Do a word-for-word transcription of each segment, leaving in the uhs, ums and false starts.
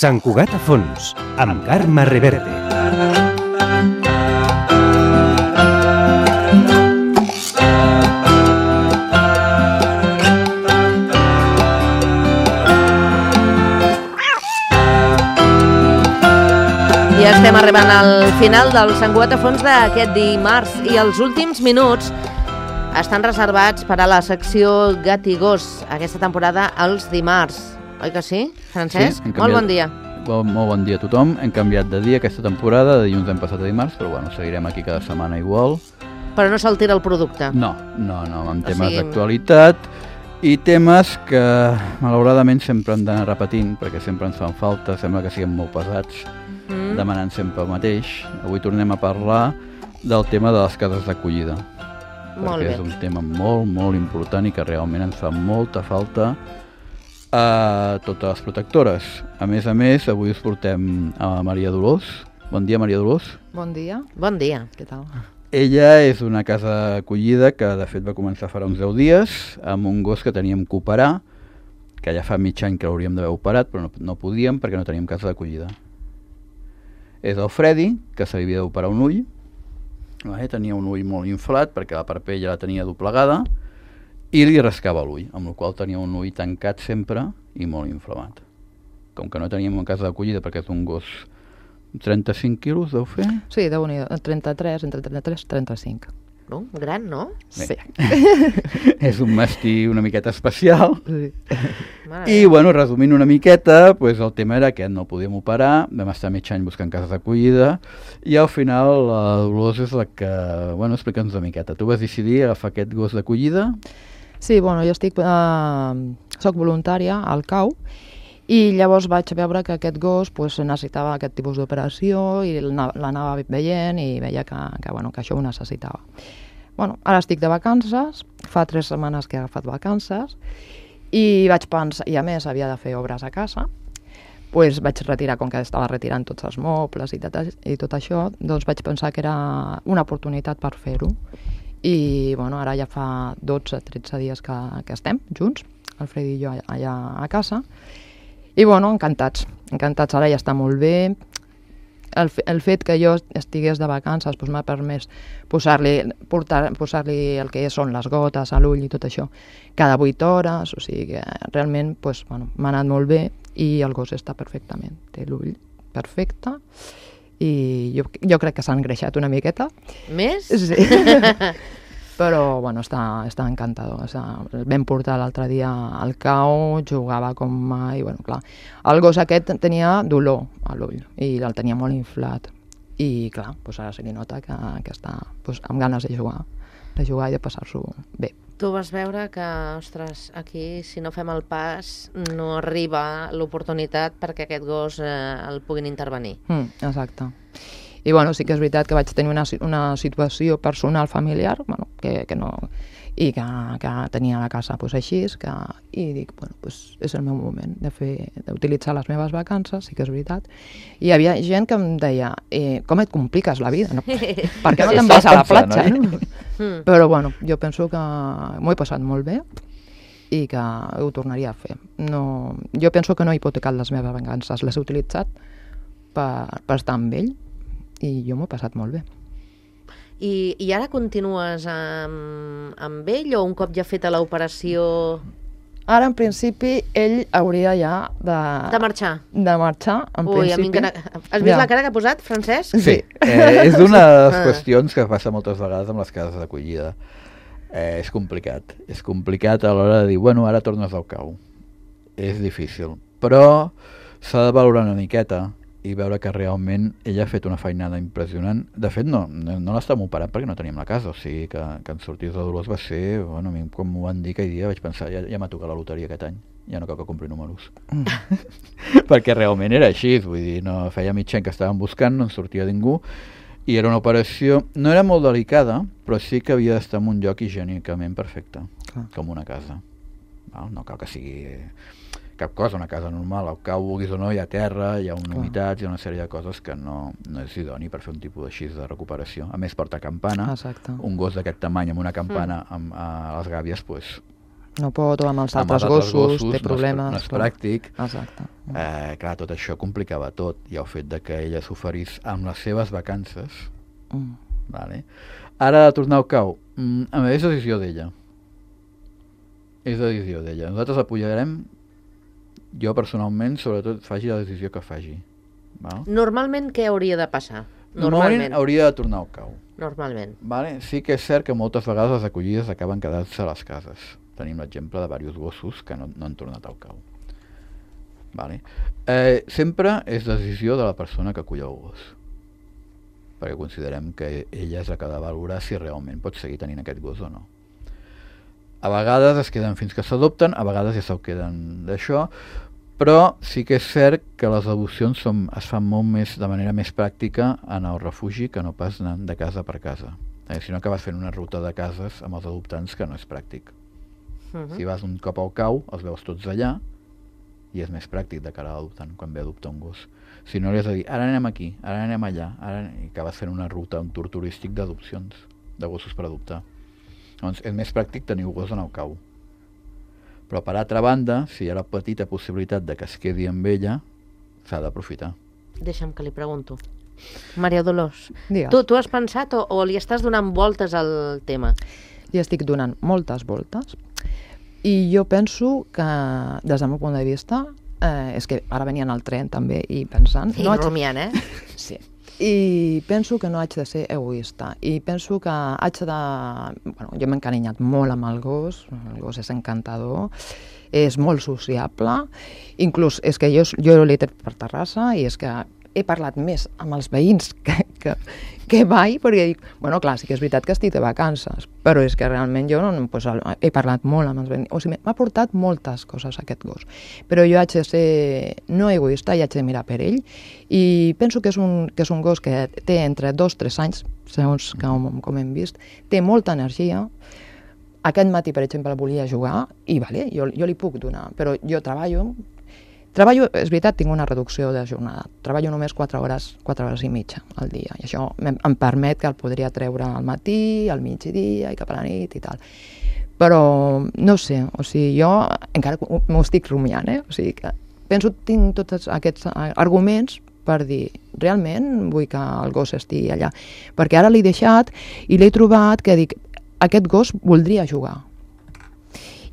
Sant Cugat a fons, amb Carme Reverte. Ja estem arribant al final del Sant Cugat a fons d'aquest dimarts i els últims minuts estan reservats per a la secció Gat i Gos aquesta temporada els dimarts. Oi que sí, Francesc? Sí, canviat... Molt bon dia. Bon, molt bon dia a tothom. Hem canviat de dia aquesta temporada, de dilluns hem passat a dimarts, però bueno, seguirem aquí cada setmana igual. Però no s'altera el producte? No, no, no, amb temes o sigui... d'actualitat i temes que malauradament sempre hem d'anar repetint, perquè sempre ens fan falta, sembla que siguem molt pesats. Mm. Demanant sempre el mateix. Avui tornem a parlar del tema de les cases d'acollida, molt perquè bé. És un tema molt, molt important i que realment ens fa molta falta a totes les protectores. A més a més, avui us portem a Maria Dolors. Bon dia, Maria Dolors. Bon dia. Bon dia. Què tal? Ella és una casa d'acollida que de fet va començar farà uns deu dies amb un gos que teníem que operar, que ja fa mig any que l'hauríem d'haver operat, però no, no podíem perquè no teníem casa d'acollida. És el Freddy, que se li havia d'operar un ull. Vale, tenia un ull molt inflat perquè la parpella la tenia doblegada i li rascava l'ull, amb la qual tenia un ull tancat sempre i molt inflamat. Com que no teníem una casa d'acollida perquè és un gos trenta-cinc quilos, deu fer? Sí, deu-n'hi, trenta-tres, entre trenta-tres i trenta-cinc. No? Gran, no? Sí. És un mastí una miqueta especial. Sí. I, bueno, resumint una miqueta, pues, el tema era que no el podíem operar, vam estar mig any buscant cases d'acollida, i al final la Dolors és la que... Bueno, explica'ns una miqueta. Tu vas decidir agafar aquest gos d'acollida? Sí, bueno, jo estic... Eh, soc voluntària al C A U, i llavors vaig veure que aquest gos pues, necessitava aquest tipus d'operació i l'anava veient i veia que, que, bueno, que això ho necessitava. Bueno, ara estic de vacances, fa tres setmanes que he agafat vacances i vaig pensar, i a més havia de fer obres a casa, pues vaig retirar, com que estava retirant tots els mobles i tot, i tot això, doncs vaig pensar que era una oportunitat per fer-ho. I bueno, ara ja fa dotze tretze dies que, que estem junts, el Freddy i jo allà a casa. I bueno, encantats, encantats, ara ja està molt bé. El, el fet que jo estigués de vacances doncs, m'ha permès posar-li posar-li el que són les gotes a l'ull i tot això cada vuit hores, o sigui que realment doncs, bueno, m'ha anat molt bé i el gos està perfectament, té l'ull perfecte i jo, jo crec que s'ha engreixat una miqueta. Més? Sí. Però bueno, està, està encantador. O sigui, el vam portar l'altre dia al C A U, jugava com mai, bueno, clar. El gos aquest tenia dolor a l'ull i el tenia molt inflat. I clar, doncs ara se li nota que, que està doncs, amb ganes de jugar, de jugar i de passar-s'ho bé. Tu vas veure que, ostres, aquí si no fem el pas no arriba l'oportunitat perquè aquest gos eh, el puguin intervenir. Mm, exacte. I bueno, sí que és veritat que vaig tenir una, una situació personal familiar, bueno, que, que no, i que, que tenia la casa pues, així, que, i dic, bueno, pues, és el meu moment de fer, d'utilitzar les meves vacances, sí que és veritat. I hi havia gent que em deia, eh, com et compliques la vida? No? Per què no te'n vas a la platja? No? Però bueno, jo penso que m'ho he passat molt bé i que ho tornaria a fer. No, jo penso que no he hipotecat les meves vacances, les he utilitzat per, per estar amb ell, i jo m'ho he passat molt bé. I, i ara continues amb, amb ell o un cop ja feta l'operació? Ara, en principi, ell hauria ja de... De marxar? De marxar, en Ui, principi. A mi encara... Has vist ja. La cara que ha posat, Francesc? Sí, eh, és una de les qüestions que passa moltes vegades amb les cases d'acollida. Eh, és complicat. És complicat a l'hora de dir, bueno, ara tornes al C A U. És difícil. Però s'ha de valorar una miqueta i veure que realment ella ha fet una feinada impressionant. De fet, no, no, no l'estàvem operant perquè no teníem la casa, o sigui que, que en sortís de Dolors va ser, bueno, a mi com m'ho van dir aquell dia vaig pensar, ja, ja m'ha tocat la loteria aquest any, ja no cal que compri números. Mm. Perquè realment era així, vull dir, no, feia mig any que estàvem buscant, no en sortia ningú, i era una operació, no era molt delicada, però sí que havia d'estar en un lloc higiènicament perfecte, ah. com una casa. Val? No cal que sigui cap cosa, una casa normal, al cau vulguis o no, hi ha terra, hi ha una humitat, hi ha una sèrie de coses que no, no és idoni per fer un tipus així de recuperació. A més, porta campana. Exacte. Un gos d'aquest tamany amb una campana mm. amb, a les gàbies, pues, no pot, o amb els Amb altres els altres gossos, gossos té problemes. no és, no és pràctic. Exacte. Eh, clar, tot això complicava tot, i el fet de que ella s'oferís amb les seves vacances. Mm. Vale. Ara de tornar al cau, mm, a més, és decisió d'ella. És decisió d'ella. Nosaltres apoyarem, jo personalment, sobretot faci la decisió que faci. Val? Normalment què hauria de passar? Normalment hauria de tornar al cau. Normalment. Vale? Sí que és cert que moltes vegades les acollides acaben quedant-se a les cases. Tenim l'exemple de diversos gossos que no, no han tornat al cau. Vale? Eh, sempre és decisió de la persona que acull el gos, perquè considerem que ella és la que ha de valorar si realment pot seguir tenint aquest gos o no. A vegades es queden fins que s'adopten, a vegades ja se'l queden d'això, però sí que és cert que les adopcions són, es fan molt més de manera més pràctica en el refugi que no pas anant de casa per casa. Eh, si no acabes fent una ruta de cases amb els adoptants que no és pràctic. Uh-huh. Si vas un cop al cau, els veus tots allà, i és més pràctic de cara a l'adoptant quan ve a adoptar un gos. Si no li has de dir, ara anem aquí, ara anem allà, ara... i acabes fent una ruta, un tour turístic d'adopcions, de gossos per adoptar. Doncs és més pràctic tenir un gos en el cau. Però per altra banda, si hi ha la petita possibilitat de que es quedi amb ella, s'ha d'aprofitar. Deixa'm que li pregunto. Maria Dolors, Digues. tu, tu has pensat o, o li estàs donant voltes al tema? Li estic donant moltes voltes i jo penso que, des del meu punt de vista, eh, és que ara venia en el tren també i pensant... I no haig... rumiant, eh? Sí. I penso que no haig de ser egoista i penso que haig de... Bueno, jo m'he encarinyat molt amb el gos, el gos és encantador, és molt sociable, inclús és que jo, jo l'he tret per Terrassa i és que he parlat més amb els veïns que, que, que mai, perquè dic, bueno, clar, sí que és veritat que estic de vacances, però és que realment jo no, pues, he parlat molt amb els veïns, o sigui, m'ha portat moltes coses aquest gos, però jo haig de ser no egoista i haig de mirar per ell, i penso que és un, que és un gos que té entre dos o tres anys, segons com, com hem vist, té molta energia. Aquest matí, per exemple, volia jugar i vale, jo, jo li puc donar, però jo treballo, Treballo, és veritat, tinc una reducció de jornada. Treballo només quatre hores, quatre hores i mitja al dia. I això em, em permet que el podria treure al matí, al migdia i cap a la nit i tal. Però, no sé, o sigui, jo encara m'ho estic rumiant, eh? O sigui, que penso, tinc tots aquests arguments per dir, realment vull que el gos estigui allà. Perquè ara l'he deixat i l'he trobat que dic, aquest gos voldria jugar.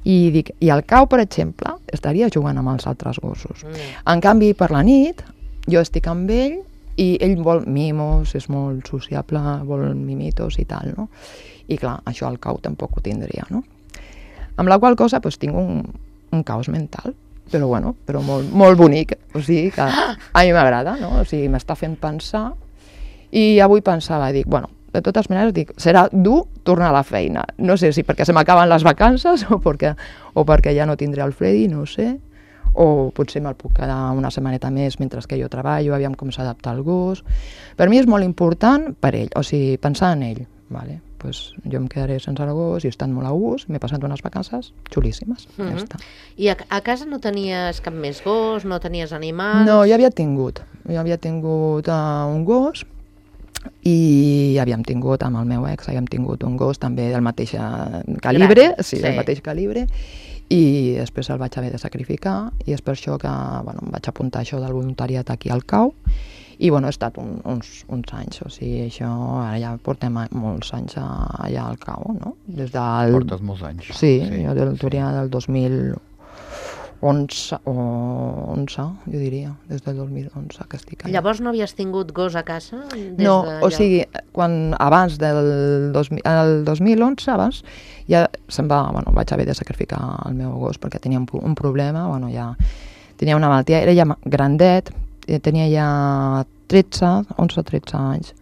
I dic, i al cau, per exemple, estaria jugant amb els altres gossos. Mm. En canvi, per la nit, jo estic amb ell i ell vol mimos, és molt sociable, vol mimitos i tal, no? I clar, això al cau tampoc ho tindria, no? Amb la qual cosa, doncs, tinc un, un caos mental, però bueno, però molt, molt bonic, o sigui que a mi m'agrada, no? O sigui, m'està fent pensar i avui pensava, dic, bueno, de totes maneres, dic, serà dur tornar a la feina. No sé si perquè se m'acaben les vacances o perquè, o perquè ja no tindré el Freddy, no ho sé. O potser me'l puc quedar una setmaneta més mentre que jo treballo, aviam com s'adapta el gos. Per mi és molt important per ell, o sigui, pensar en ell. Vale, pues jo em quedaré sense el gos i he estat molt a gust, m'he passat unes vacances xulíssimes. Mm-hmm. Ja està. I a, a casa no tenies cap més gos, no tenies animals? No, jo havia tingut, jo havia tingut uh, un gos, i havíem tingut, amb el meu ex, havíem tingut un gos també del mateix calibre, Gran, sí, sí. del mateix calibre, i després el vaig haver de sacrificar, i és per això que bueno, em vaig apuntar això del voluntariat aquí al cau, i bueno, he estat un, uns, uns anys, o sigui, això, ara ja portem molts anys allà al cau, no? Des del... Portes molts anys. Sí, sí, jo del, sí. del dos mil onze, o onze, jo diria, des del dos mil onze que estic allà. Llavors no havies tingut gos a casa? Des no, de o sigui, quan, abans del dos mil, el dos mil onze, abans, ja se'm va, bueno, vaig haver de sacrificar el meu gos perquè tenia un, un problema, bueno, ja tenia una malaltia, era ja grandet, tenia ja tretze, onze tretze anys,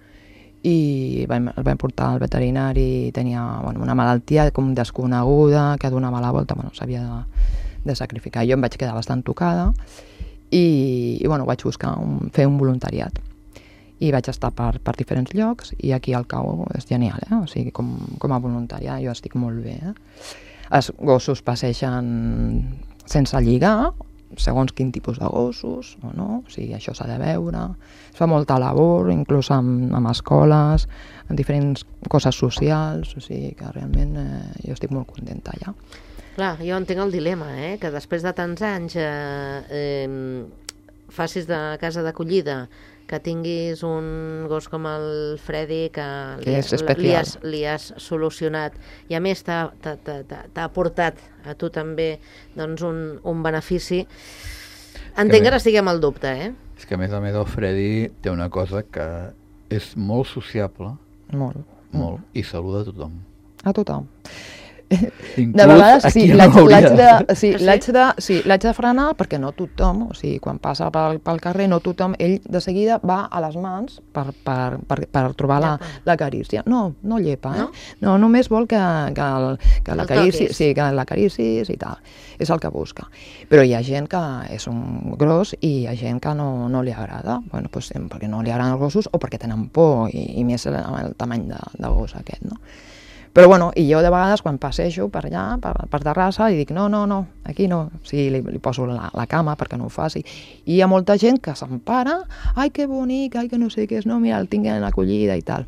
i vam, el vam portar al veterinari, tenia bueno, una malaltia com desconeguda, que donava la volta, bueno, s'havia de de sacrificar. Jo em vaig quedar bastant tocada i, i bueno, vaig buscar un, fer un voluntariat i vaig estar per, per diferents llocs i aquí al cau és genial, eh? O sigui, com, com a voluntària jo estic molt bé. Eh? Els gossos passegen sense lligar, segons quin tipus de gossos, o no, o sigui, això s'ha de veure. Es fa molta labor, inclús amb, amb escoles, en diferents coses socials, o sigui que realment eh, jo estic molt contenta allà. Clar, jo entenc el dilema, eh? Que després de tants anys eh, eh, facis de casa d'acollida, que tinguis un gos com el Freddy que li, Que és li, especial. has, li has solucionat i a més t'ha t'ha- t'ha- t'ha- t'ha aportat a tu també doncs, un, un benefici. Entenc que ara estigui amb el dubte, eh? És que a més a més el Freddy té una cosa que és molt sociable, Molt. molt, i saluda a tothom. A tothom. Inclús De vegades a sí, qui no l'haig hauria l'haig de- de, sí, Ah, sí? l'haig de, sí, l'haig de frenar perquè no tothom, o sigui, quan passa pel, pel carrer, no tothom, ell de seguida va a les mans per, per, per, per trobar la, Llepa. la carícia. No, no llepa, No? eh? No, només vol que, que, el, que la El carici, toquis. sí, que la caricis i tal. És el que busca. Però hi ha gent que és un gros i hi ha gent que no, no li agrada. Bueno, pues, perquè no li agraden els gossos o perquè tenen por i, i més el, el tamany de, de gos aquest, no? Però bueno, i jo de vegades quan passejo per allà, per, per Terrassa, i dic no, no, no, aquí no. O sigui, li, li poso la, la cama perquè no ho faci. I hi ha molta gent que s'empara, ai, que bonic, ai, que no sé què és, no, mira, el tinc en acollida i tal.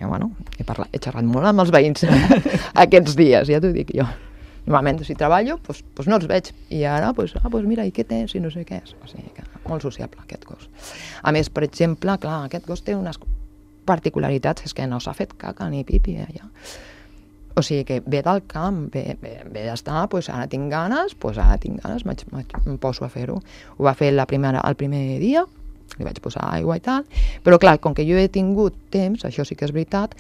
I bueno, he, parlat, he xerrat molt amb els veïns aquests dies, ja t'ho dic jo. Normalment, si treballo, doncs, doncs no els veig. I ara, doncs, ah, doncs mira, i què tens? I no sé què és. O sigui, que molt sociable, aquest gos. A més, per exemple, clar, aquest gos té unes particularitats, és que no s'ha fet caca ni pipi allà. O sigui que ve del camp, ve, ve, ve d'estar, doncs ara tinc ganes, doncs ara tinc ganes, m'haig- m'haig- em poso a fer-ho. Ho va fer la primera, el primer dia, li vaig posar aigua i tal, però clar, com que jo he tingut temps, això sí que és veritat,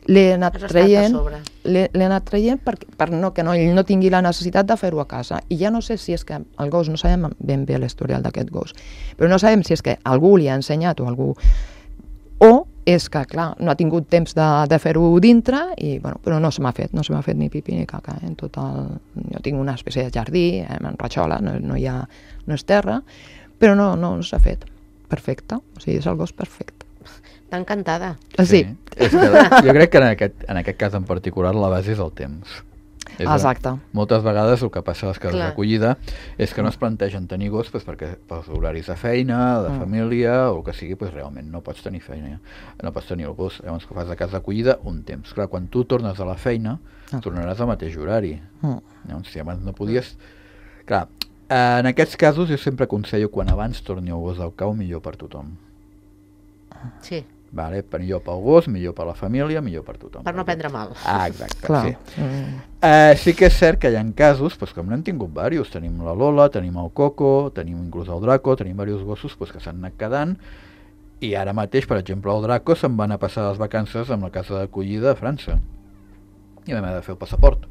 l'he anat Has estat a traient, sobre. l'he l'he anat traient per, per no, que no, ell no tingui la necessitat de fer-ho a casa. I ja no sé si és que el gos, no sabem ben bé l'historial d'aquest gos, però no sabem si és que algú li ha ensenyat o algú... O és que, clar, no ha tingut temps de, de fer-ho dintre, i, bueno, però no se m'ha fet, no se m'ha fet ni pipi ni caca. Eh? En tot el... Jo tinc una espècie de jardí, eh, en ratxola, no, no hi ha... no és terra, però no, no, no s'ha fet. Perfecte, o sigui, és el gos perfecte. T'ha encantada. Sí, És que jo crec que en aquest, en aquest cas en particular la base és el temps. És exacte. Moltes vegades el que passa a les cases Clar. d'acollida és que no es plantegen tenir gos pues, perquè pels horaris de feina, de Mm. família o el que sigui, pues, realment no pots tenir feina, no pots tenir el gos. Llavors que fas de casa d'acollida un temps. Clar, quan tu tornes a la feina Ah. tornaràs al mateix horari. Mm. Llavors, si abans no podies... Clar, eh, en aquests casos jo sempre aconsello quan abans torni el gos al cau, millor per tothom. Sí, Vale? Millor pel gos, millor per la família, millor per tothom. per no prendre mal. Ah, exacte, Clar. sí. Mm. Eh, sí que és cert que hi ha casos, pues, com n'hem tingut diversos, tenim la Lola, tenim el Coco, tenim inclús el Draco, tenim diversos gossos pues, que s'han anat quedant, i ara mateix, per exemple, el Draco se'n va anar a passar les vacances amb la casa d'acollida a França. I vam haver de fer el passaport.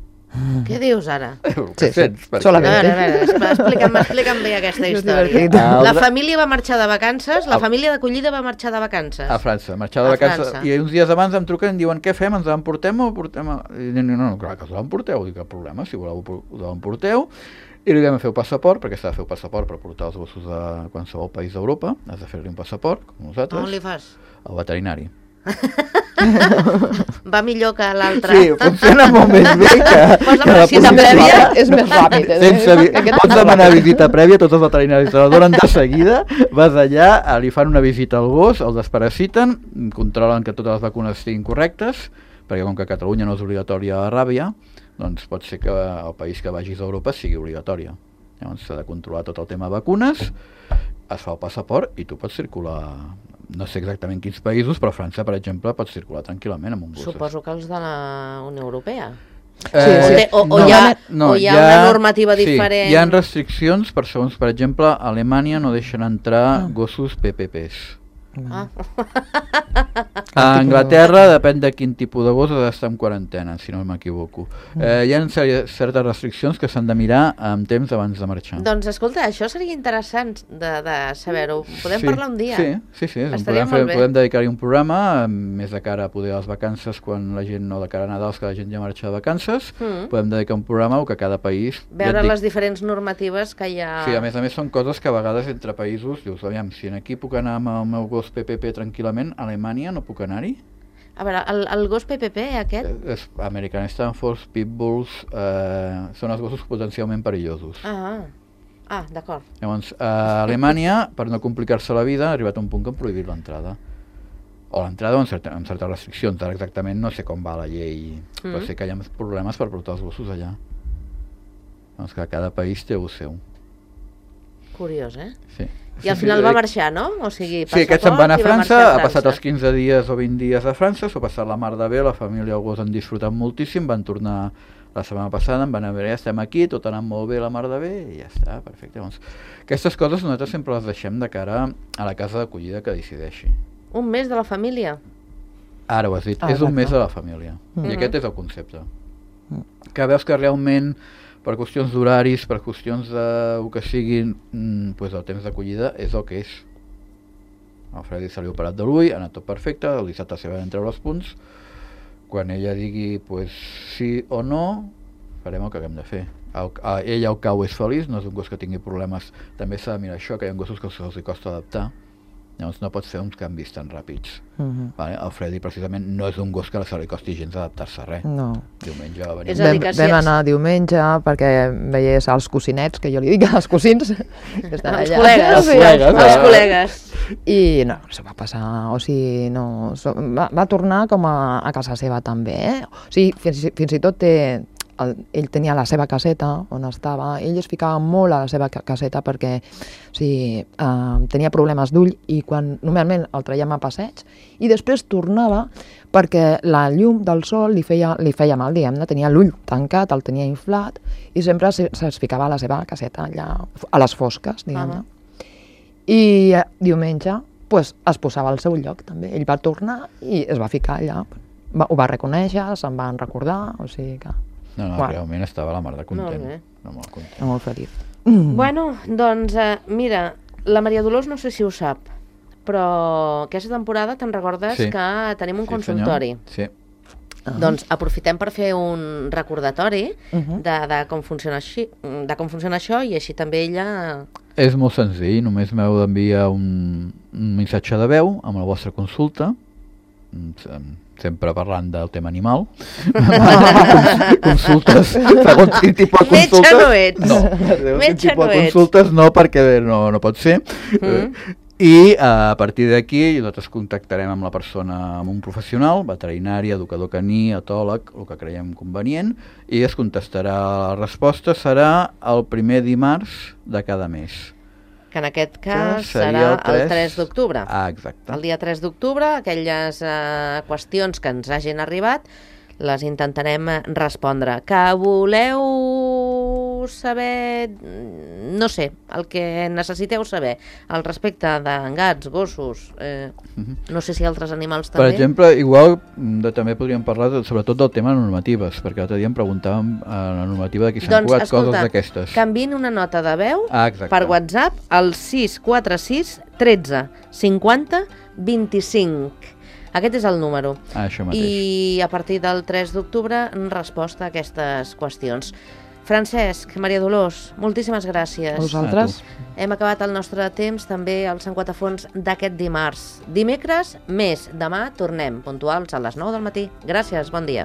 Què dius ara? El Sí, que sí, sents, perquè- A solament. veure, a veure, expl- explica'm, explica'm bé aquesta És història. divertit. El La dra- família va marxar de vacances, la El- família d'acollida va marxar de vacances. A França, marxar de A vacances, França. i uns dies abans em truquen i em diuen què fem, ens l'emportem o portem a... I dic, no, no, clar que us l'emporteu, dic, cap problema, si voleu us l'emporteu, i li vam fer el passaport, perquè s'ha de fer el passaport per portar els gossos a qualsevol país d'Europa, has de fer-li un passaport, com nosaltres, On li fas? al veterinari. Va millor que l'altre. Sí, funciona molt més bé que, Posa que la visita policia. prèvia és més ràpid. eh? Sense vi... Aquest Pots és demanar ràpid. visita prèvia, tots els veterinaris te la donen de seguida, vas allà, eh, li fan una visita al gos, el desparasiten, controlen que totes les vacunes estiguin correctes, perquè com que a Catalunya no és obligatòria la ràbia, doncs pot ser que el país que vagis a Europa sigui obligatòria. Llavors s'ha de controlar tot el tema de vacunes, es fa el passaport i tu pots circular, no sé exactament quins països, però a França, per exemple, pots circular tranquil·lament amb un gos. Suposo que els de la Unió Europea. Eh, O té- o- o hi ha- o hi ha una normativa diferent. Sí, hi ha restriccions, per segons, per exemple, a Alemanya no deixen entrar gossos P P Ps. Ah. A Anglaterra, depèn de quin tipus de gos, ha d'estar en quarantena, si no m'equivoco. Eh, hi ha cer- certes restriccions que s'han de mirar amb temps abans de marxar. Doncs escolta, això seria interessant de, de saber-ho. Podem Sí, parlar un dia? Sí, sí, sí. Estaria Podem, molt bé. podem dedicar-hi un programa, eh, més de cara a poder les vacances, quan la gent, no de cara a Nadal, que la gent ja marxa de vacances, Mm. podem dedicar un programa o que cada país... ja Veure et dic, les diferents normatives que hi ha... Sí, a més a més són coses que a vegades entre països, dius, aviam, si en aquí puc anar amb el meu gos P P P tranquil·lament, a Alemanya no puc anar-hi? A veure, el, el gos P P P, aquest... Eh, És American Stanfords, Pitbulls, eh, són els gossos potencialment perillosos. Ah, ah d'acord. Llavors, a Alemanya, per no complicar-se la vida, ha arribat a un punt que han prohibit l'entrada. O l'entrada amb, certa, amb certes restriccions, ara exactament no sé com va la llei, Mm. però sé que hi ha problemes per portar els gossos allà. Doncs que cada país té el seu. Curiós, eh? Sí. I al final va marxar, no? O sigui, sí, aquests se'n van a França, a ha passat els quinze dies o vint dies a França, s'ho ha passat la mar de bé, la família i el gos han disfrutat moltíssim, van tornar la setmana passada, em van a veure, ja estem aquí, tot ha anat molt bé, la mar de bé, i ja està, perfecte. Doncs, aquestes coses nosaltres sempre les deixem de cara a la casa d'acollida que decideixi. Un mes de la família? Ara ho has dit, ah, és un exacte. mes de la família, mm. i aquest és el concepte. Que veus que realment per qüestions d'horaris, per qüestions de el que siguin, mm, pues el temps d'acollida és el que és. El Freddy se li ha operat de l'ull, ha anat tot perfecte, el dissabte s'hi van treure els punts, quan ella digui pues, sí o no, farem el que haguem de fer. El, a, ella al cau és feliç, no és un gos que tingui problemes, també s'ha de mirar això, que hi ha gossos que se'ls costa adaptar, llavors no pots fer uns canvis tan ràpids. Uh-huh. Vale? El Freddy precisament no és un gos que se li costi gens adaptar-se a res. No. Diumenge va venir. És a dir, Vam, que si vam ets- anar diumenge perquè veiés els cosinets, que jo li dic als cosins, que estan Els allà. col·legues. Els col·legues, Els ah. col·legues. I no, se va passar, o sigui, no, so, va, va tornar com a, a casa seva també, eh? O sigui, fins, fins i tot té, el, ell tenia la seva caseta on estava, ell es ficava molt a la seva ca- caseta perquè o sigui, eh, tenia problemes d'ull i quan normalment el traiem a passeig i després tornava perquè la llum del sol li feia, li feia mal, diguem-ne, tenia l'ull tancat, el tenia inflat i sempre se, es ficava a la seva caseta allà a les fosques, diguem-ne. Ah. I eh, diumenge pues, es posava al seu lloc també. Ell va tornar i es va ficar allà. Va, ho va reconèixer, se'n van recordar, o sigui que... No, no, Bueno. realment estava la mar de content. Molt bé. No, molt content. Molt feliç. Bueno, doncs, eh, mira, la Maria Dolors no sé si ho sap, però aquesta temporada te'n recordes Sí. que tenim un Sí, consultori. senyor. Sí. Ah. Doncs aprofitem per fer un recordatori Mhm. de, de, com funciona així, de com funciona això i així també ella... És molt senzill, només m'heu d'enviar un, un missatge de veu amb la vostra consulta, mm, sem- sempre parlant del tema animal. Consultes, segons quin tipus de Metge consultes... no ets. No, segons Metge quin tipus no de ets. consultes no, perquè no, no pot ser. Mm. I a partir d'aquí nosaltres contactarem amb la persona, amb un professional, veterinari, educador caní, etòleg, el que creiem convenient, i es contestarà, la resposta serà el primer dimarts de cada mes. Que en aquest Que cas seria serà el tres el tres d'octubre. Ah, exacte. El dia tres d'octubre, aquelles eh, qüestions que ens hagin arribat, les intentarem eh, respondre. Que voleu saber, mm, no sé, el que necessiteu saber al respecte de gats, gossos, eh, Mhm. no sé si altres animals Per també. exemple, igual de, també podríem parlar de, sobretot del tema de normatives, perquè l'altre dia em preguntàvem a la normativa d'aquí Sant Doncs, Cugat, escolta, coses d'aquestes. que enviïn una nota de veu Ah, exacte. per WhatsApp al sis quatre sis tretze cinquanta vint-i-cinc. Aquest és el número. Ah, això mateix. I a partir del tres d'octubre, resposta a aquestes qüestions. Francesc, Maria Dolors, moltíssimes gràcies. A vosaltres? Hem acabat el nostre temps també al Sant Quatafons d'aquest dimarts. Dimecres, més. Demà tornem, puntuals a les nou del matí. Gràcies, bon dia.